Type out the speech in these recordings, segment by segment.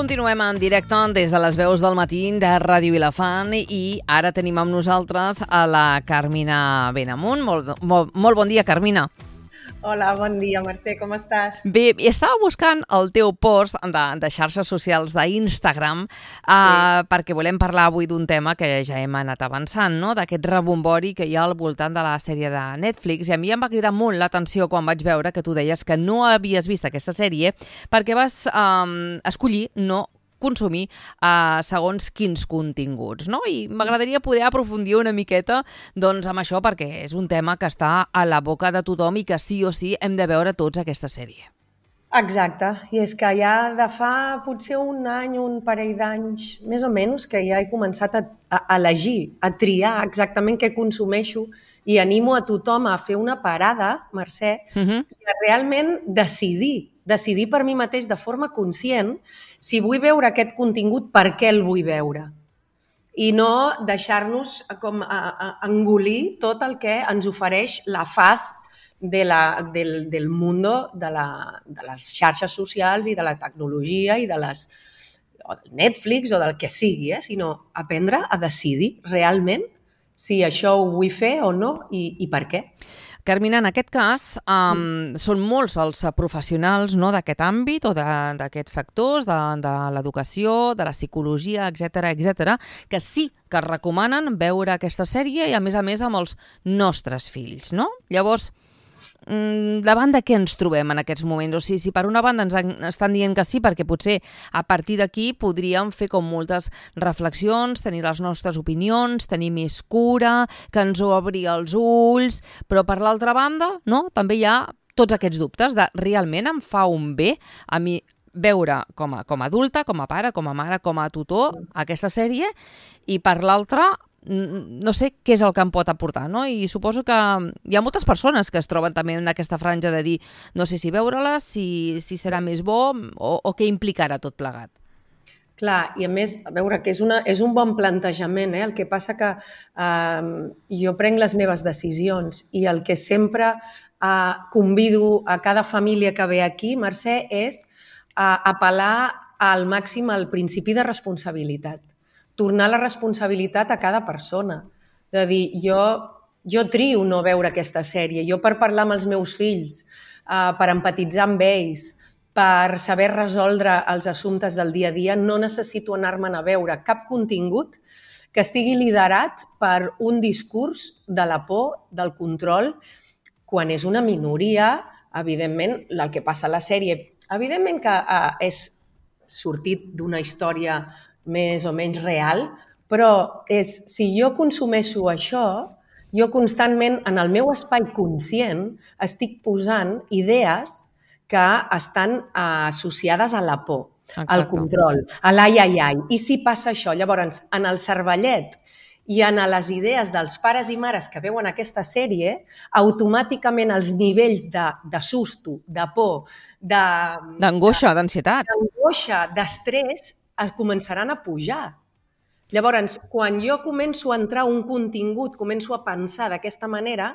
Continuem en directe des de les veus del matí de Ràdio Vilafant i ara tenim amb nosaltres a la Carmina Benamunt. Molt bon dia, Carmina. Hola, bon dia, Mercè, com estàs? Bé, estava buscant el teu post de xarxes socials d'Instagram perquè volem parlar avui d'un tema que ja hem anat avançant, no? D'aquest rebombori que hi ha al voltant de la sèrie de Netflix. I a mi em va cridar molt l'atenció quan vaig veure que tu deies que no havies vist aquesta sèrie perquè vas escollir no consumir segons quins continguts, no? I m'agradaria poder aprofundir una miqueta doncs, amb això, perquè és un tema que està a la boca de tothom i que sí o sí hem de veure tots aquesta sèrie. Exacte, i és que ja de fa potser un any, un parell d'anys, més o menys, que ja he començat a elegir, a triar exactament què consumeixo i animo a tothom a fer una parada, Mercè, i a realment decidir per mi mateix de forma conscient si vull veure aquest contingut, per què el vull veure. I no deixar-nos com engolir tot el que ens ofereix la faz del mundo de les xarxes socials i de la tecnologia i del Netflix o del que sigui, sinó aprendre a decidir realment si això ho vull fer o no i per què. Carmina, en aquest cas, són molts els professionals d'aquest àmbit o d'aquests sectors, de l'educació, de la psicologia, etc, que sí que recomanen veure aquesta sèrie i, a més amb els nostres fills, no? Llavors, davant de què ens trobem en aquests moments? O sigui, si per una banda ens estan dient que sí, perquè potser a partir d'aquí podríem fer com moltes reflexions, tenir les nostres opinions, tenir més cura, que ens obri els ulls, però per l'altra banda, no? També hi ha tots aquests dubtes de realment em fa un bé a mi veure com a adulta, com a pare, com a mare, com a tutor aquesta sèrie, i per l'altra no sé què és el que em pot aportar, no? I suposo que hi ha moltes persones que es troben també en aquesta franja de dir no sé si veure-la, si serà més bo o què implicarà tot plegat. Clar, i a més, a veure, que és un bon plantejament, el que passa que jo prenc les meves decisions i el que sempre convido a cada família que ve aquí, Mercè, és apel·lar al màxim al principi de responsabilitat. Tornar la responsabilitat a cada persona. De dir, jo trio no veure aquesta sèrie. Jo per parlar amb els meus fills, per empatitzar amb ells, per saber resoldre els assumptes del dia a dia, no necessito anar-me'n a veure cap contingut que estigui liderat per un discurs de la por, del control, quan és una minoria, evidentment, el que passa a la sèrie. Evidentment que és sortit d'una història més o menys real, però si jo consumeixo això, jo constantment en el meu espai conscient estic posant idees que estan associades a la por, al control, a l'ai. I si passa això, llavors, en el cervellet i en les idees dels pares i mares que veuen aquesta sèrie, automàticament els nivells de susto, de por, d'angoixa, d'ansietat, d'estrès, començaran a pujar. Llavors, quan jo començo a entrar un contingut, començo a pensar d'aquesta manera,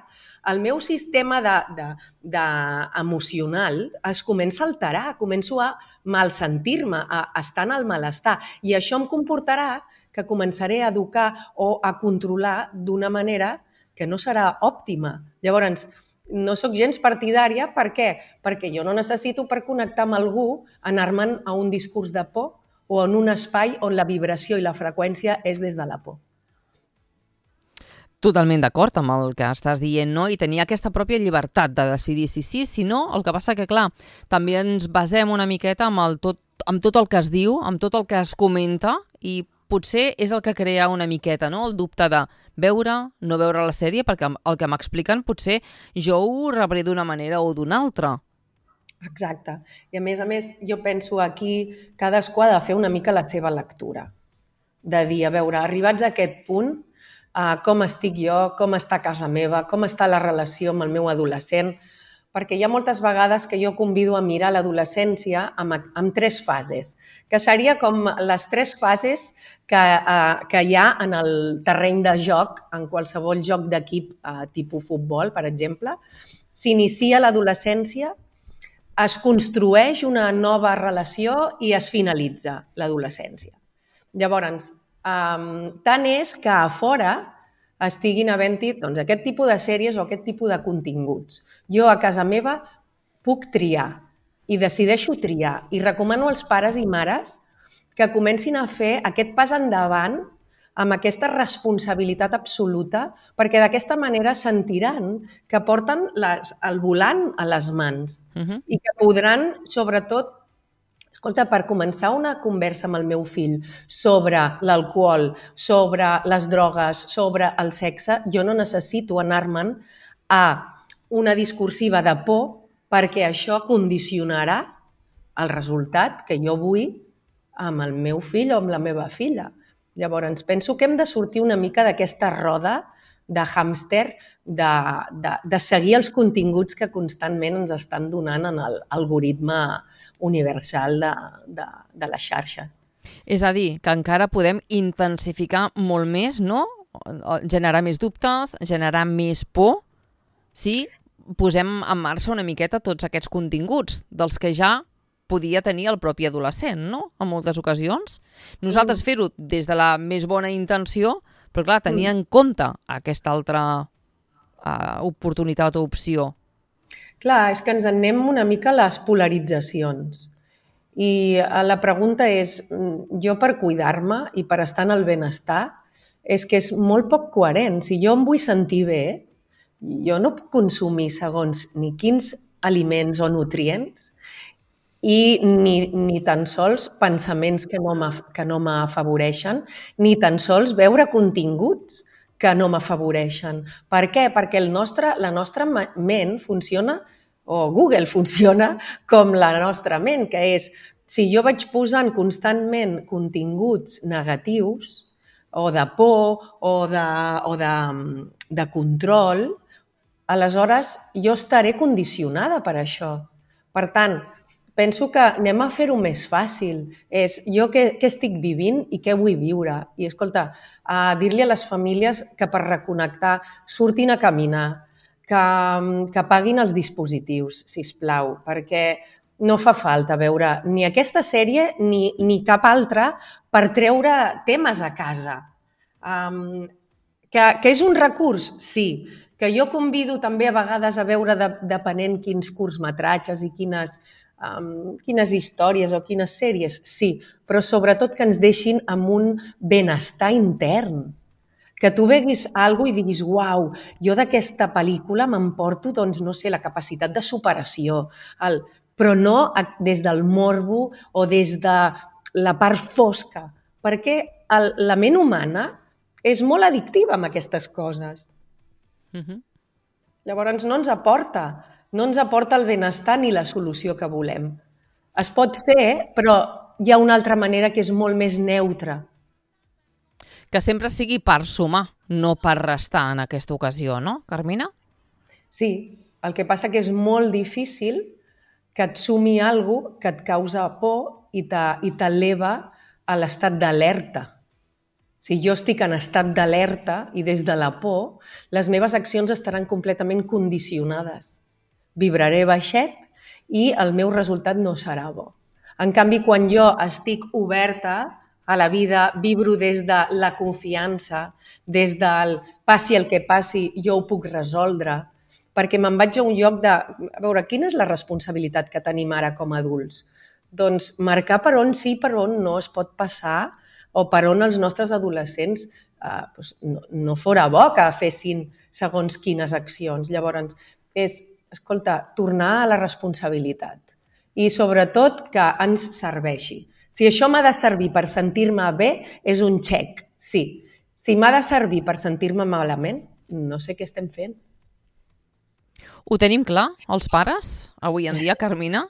el meu sistema emocional es comença a alterar, començo a malsentir-me, a estar en el malestar. I això em comportarà que començaré a educar o a controlar d'una manera que no serà òptima. Llavors, no sóc gens partidària. Per què? Perquè jo no necessito per connectar amb algú anar-me'n a un discurs de por o en un espai on la vibració i la freqüència és des de la por. Totalment d'acord amb el que estàs dient, no? I tenir aquesta pròpia llibertat de decidir si sí, si no. El que passa que, clar, també ens basem una miqueta amb tot el que es diu, amb tot el que es comenta, i potser és el que crea una miqueta, no? El dubte de veure, no veure la sèrie, perquè el que m'expliquen potser jo ho rebré d'una manera o d'una altra. Exacte. I a més, jo penso aquí cadascú ha de fer una mica la seva lectura. De dir, a veure, arribats a aquest punt, com estic jo, com està casa meva, com està la relació amb el meu adolescent, perquè hi ha moltes vegades que jo convido a mirar l'adolescència amb 3 fases, que seria com les 3 fases que hi ha en el terreny de joc, en qualsevol joc d'equip tipus futbol, per exemple. S'inicia l'adolescència es construeix una nova relació i es finalitza l'adolescència. Llavors, tant és que a fora estiguin havent-hi aquest tipus de sèries o aquest tipus de continguts. Jo a casa meva puc triar i decideixo triar i recomano als pares i mares que comencin a fer aquest pas endavant amb aquesta responsabilitat absoluta, perquè d'aquesta manera sentiran que porten el volant a les mans i que podran, sobretot, escolta, per començar una conversa amb el meu fill sobre l'alcohol, sobre les drogues, sobre el sexe, jo no necessito anar-me'n a una discursiva de por perquè això condicionarà el resultat que jo vull amb el meu fill o amb la meva filla. Llavors, penso que hem de sortir una mica d'aquesta roda de hàmster, de seguir els continguts que constantment ens estan donant en l'algoritme universal de les xarxes. És a dir, que encara podem intensificar molt més, no? Generar més dubtes, generar més por, si posem en marxa una miqueta tots aquests continguts, dels que ja podia tenir el propi adolescent, no? En moltes ocasions. Nosaltres fer-ho des de la més bona intenció, però clar, tenir en compte aquesta altra oportunitat o opció. Clar, és que ens anem una mica a les polaritzacions. I la pregunta és, jo per cuidar-me i per estar en el benestar, és que és molt poc coherent. Si jo em vull sentir bé, jo no puc consumir segons ni quins aliments o nutrients i ni tan sols pensaments que no m'afavoreixen, ni tan sols veure continguts que no m'afavoreixen. Per què? Perquè la nostra ment funciona, o Google funciona com la nostra ment, que és, si jo vaig posant constantment continguts negatius, o de por, o de control, aleshores jo estaré condicionada per això. Per tant, penso que anem a fer-ho més fàcil. És jo què estic vivint i què vull viure. I, escolta, dir-li a les famílies que per reconnectar surtin a caminar, que apaguin els dispositius, sisplau, perquè no fa falta veure ni aquesta sèrie ni cap altra per treure temes a casa. Que és un recurs? Sí. Que jo convido també a vegades a veure, depenent quins curtmetratges i quines històries o quines sèries, sí, però sobretot que ens deixin amb un benestar intern. Que tu veguis alguna cosa i diguis, uau, jo d'aquesta pel·lícula m'emporto, doncs, no sé, la capacitat de superació, però no des del morbo o des de la part fosca, perquè la ment humana és molt addictiva amb aquestes coses. Llavors no ens aporta el benestar ni la solució que volem. Es pot fer, però hi ha una altra manera que és molt més neutra. Que sempre sigui per sumar, no per restar en aquesta ocasió, no, Carmina? Sí, el que passa que és molt difícil que et sumi alguna cosa que et causa por i t'eleva a l'estat d'alerta. Si jo estic en estat d'alerta i des de la por, les meves accions estaran completament condicionades. Vibraré baixet i el meu resultat no serà bo. En canvi, quan jo estic oberta a la vida, vibro des de la confiança, des del passi el que passi, jo ho puc resoldre, perquè me'n vaig a un lloc de... A veure, quina és la responsabilitat que tenim ara com a adults? Doncs marcar per on sí i per on no es pot passar o per on els nostres adolescents no fora bo que fessin segons quines accions. Llavors, escolta, tornar a la responsabilitat i sobretot que ens serveixi. Si això m'ha de servir per sentir-me bé, és un xec, sí. Si m'ha de servir per sentir-me malament, no sé què estem fent. Ho tenim clar, els pares, avui en dia, Carmina?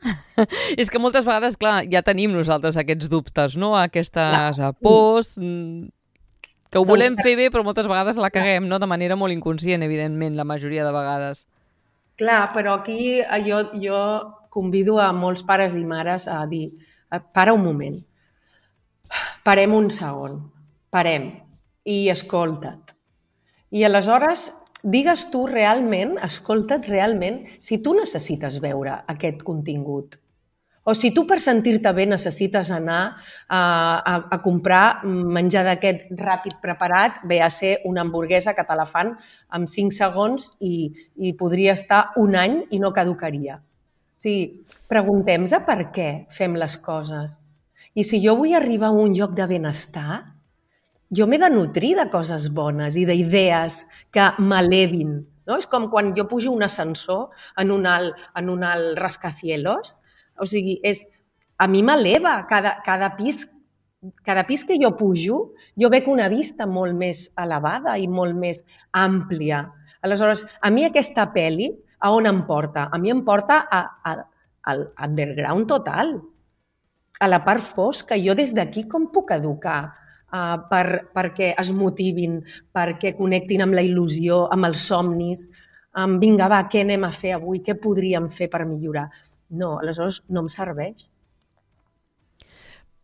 És que moltes vegades, clar, ja tenim nosaltres aquests dubtes, no? Aquestes pors, que ho volem fer bé, però moltes vegades la caguem, no? De manera molt inconscient, evidentment, la majoria de vegades. Clar, però aquí jo convido a molts pares i mares a dir, para un moment, parem un segon, parem i escolta't. I aleshores digues tu realment, escolta't realment, si tu necessites veure aquest contingut. O si tu per sentir-te bé necessites anar a comprar menjar d'aquest ràpid preparat, ve a ser una hamburguesa que te la fan en 5 segons i podria estar un any i no caducaria. O sigui, preguntem-nos per què fem les coses. I si jo vull arribar a un lloc de benestar, jo m'he de nutrir de coses bones i d'idees que m'elevin. No? És com quan jo pujo un ascensor en un alt rascacielos. O sigui, a mi m'eleva cada pis que jo pujo, jo veig una vista molt més elevada i molt més àmplia. Aleshores, a mi aquesta pel·li, a on em porta? A mi em porta al underground total, a la part fosca. Jo des d'aquí com puc educar perquè es motivin, perquè connectin amb la il·lusió, amb els somnis, amb vinga, va, què anem a fer avui, què podríem fer per millorar? No, aleshores no em serveix.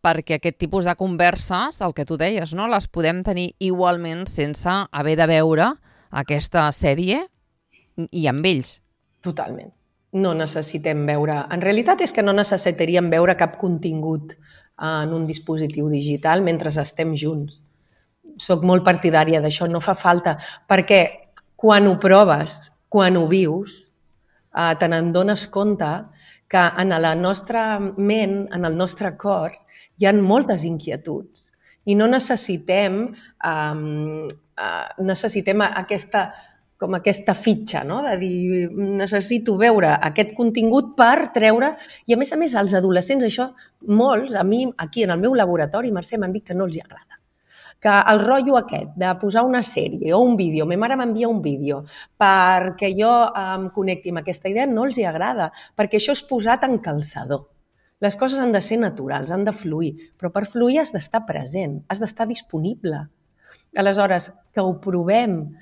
Perquè aquest tipus de converses, el que tu deies, no, les podem tenir igualment sense haver de veure aquesta sèrie i amb ells. Totalment. No necessitem veure... En realitat és que no necessitaríem veure cap contingut en un dispositiu digital mentre estem junts. Soc molt partidària d'això, no fa falta, perquè quan ho proves, quan ho vius, te n'adones compte que en la nostra ment, en el nostre cor, hi ha moltes inquietuds i no necessitem aquesta fitxa, no? De dir, necessito veure aquest contingut per treure... I a més, als adolescents, això, molts, a mi, aquí en el meu laboratori, Mercè, m'han dit que no els hi agrada. Que el rotllo aquest de posar una sèrie o un vídeo, ma mare m'envia un vídeo perquè jo em connecti amb aquesta idea, no els hi agrada, perquè això és posat en calçador. Les coses han de ser naturals, han de fluir, però per fluir has d'estar present, has d'estar disponible. Aleshores, que ho provem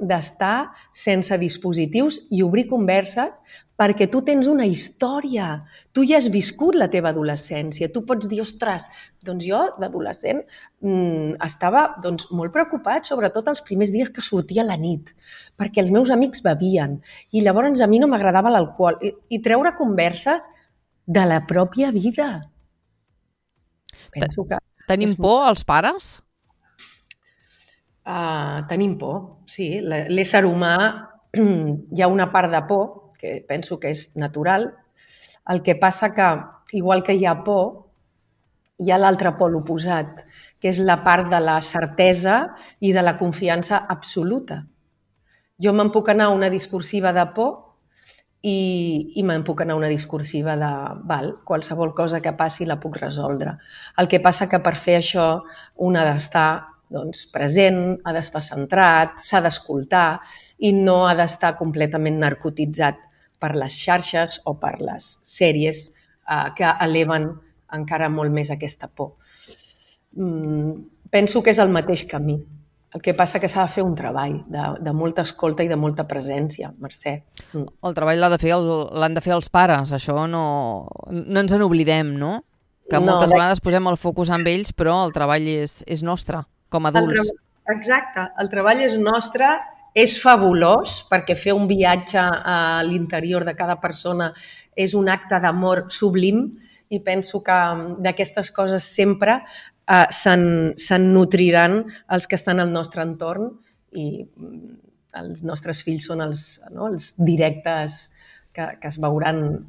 d'estar sense dispositius i obrir converses perquè tu tens una història, tu ja has viscut la teva adolescència, tu pots dir, ostres, doncs jo d'adolescent estava molt preocupat, sobretot els primers dies que sortia a la nit, perquè els meus amics bevien i llavors a mi no m'agradava l'alcohol i treure converses de la pròpia vida. Penso que... Tenim por els pares? Tenim por, sí. L'ésser humà, hi ha una part de por, que penso que és natural. El que passa que, igual que hi ha por, hi ha l'altre pol oposat, que és la part de la certesa i de la confiança absoluta. Jo me'n puc anar a una discursiva de por i me'n puc anar a una discursiva de qualsevol cosa que passi la puc resoldre. El que passa que per fer això un ha d'estar present, ha d'estar centrat, s'ha d'escoltar i no ha d'estar completament narcotitzat per les xarxes o per les sèries que eleven encara molt més aquesta por. Penso que és el mateix camí. El que passa que s'ha de fer un treball de molta escolta i de molta presència, Mercè. El treball l'han de fer els pares, això no ens n'oblidem, no? Que moltes vegades posem el focus en ells, però el treball és nostre, com a adults. Exacte, el treball és nostre, és fabulós, perquè fer un viatge a l'interior de cada persona és un acte d'amor sublim i penso que d'aquestes coses sempre se'n nutriran els que estan al nostre entorn i els nostres fills són els directes que es veuran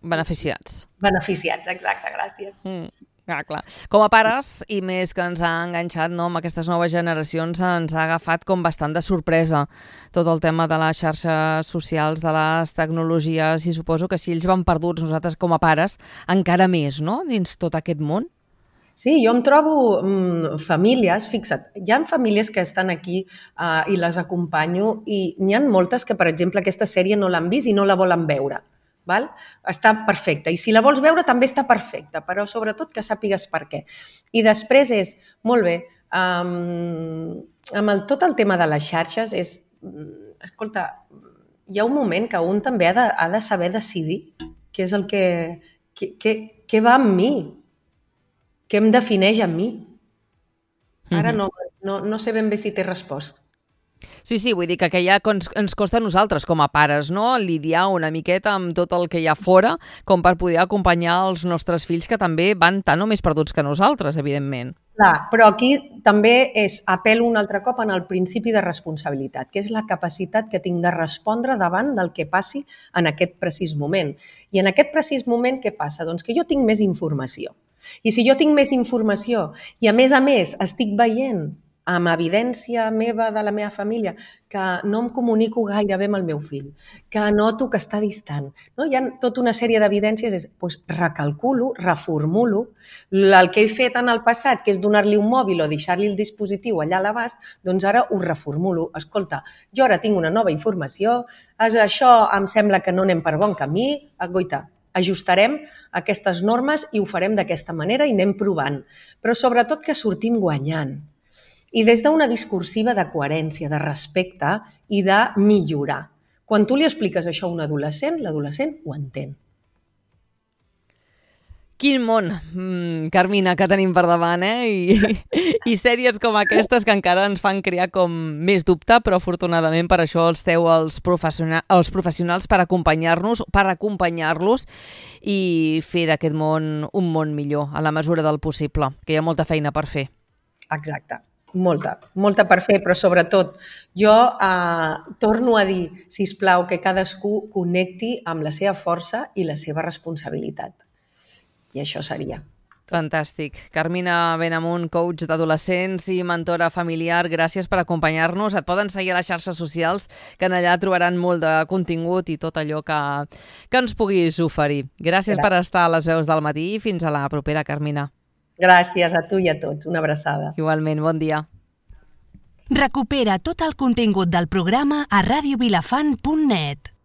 beneficiats. Beneficiats, exacte, gràcies. Clar. Com a pares, i més que ens ha enganxat amb aquestes noves generacions, ens ha agafat com bastant de sorpresa tot el tema de les xarxes socials, de les tecnologies, i suposo que si ells van perduts, nosaltres com a pares, encara més, no?, dins tot aquest món. Sí, jo em trobo famílies, fixa't, hi ha famílies que estan aquí i les acompanyo i n'hi ha moltes que, per exemple, aquesta sèrie no l'han vist i no la volen veure. Val? Està perfecta. I si la vols veure també està perfecta, però sobretot que sàpigues per què. I després és, molt bé, amb tot el tema de les xarxes és, escolta, hi ha un moment que un també ha de saber decidir què és el que va amb mi, què em defineix a mi. Ara no sé ben bé si té resposta. Sí, vull dir que ja ens costa a nosaltres com a pares, no?, lidiar una miqueta amb tot el que hi ha fora com per poder acompanyar els nostres fills que també van tan o més perduts que nosaltres, evidentment. Clar, però aquí també apel·lo un altre cop en el principi de responsabilitat, que és la capacitat que tinc de respondre davant del que passi en aquest precís moment. I en aquest precís moment què passa? Doncs que jo tinc més informació. I si jo tinc més informació i a més estic veient amb evidència meva de la meva família que no em comunico gaire bé amb el meu fill, que noto que està distant, no? Hi ha tota una sèrie d'evidències, doncs recalculo, reformulo, el que he fet en el passat, que és donar-li un mòbil o deixar-li el dispositiu allà a l'abast, doncs ara ho reformulo. Escolta, jo ara tinc una nova informació, això em sembla que no anem per bon camí, goita, ajustarem aquestes normes i ho farem d'aquesta manera i anem provant. Però sobretot que sortim guanyant. I des d'una discursiva de coherència, de respecte i de millorar. Quan tu li expliques això a un adolescent, l'adolescent ho entén. Quin món, Carmina, que tenim per davant, I sèries com aquestes que encara ens fan crear com més dubte, però afortunadament per això esteu els professionals per acompanyar-los i fer d'aquest món un món millor, a la mesura del possible, que hi ha molta feina per fer. Exacte. Molta per fer, però sobretot jo torno a dir, sisplau, que cadascú connecti amb la seva força i la seva responsabilitat. I això seria. Fantàstic. Carmina Benamunt, coach d'adolescents i mentora familiar, gràcies per acompanyar-nos. Et poden seguir a les xarxes socials, que en allà trobaran molt de contingut i tot allò que ens puguis oferir. Gràcies per estar a les veus del matí i fins a la propera, Carmina. Gràcies a tu i a tots. Una abraçada. Igualment, bon dia. Recupera tot el contingut del programa a radiovilafant.net.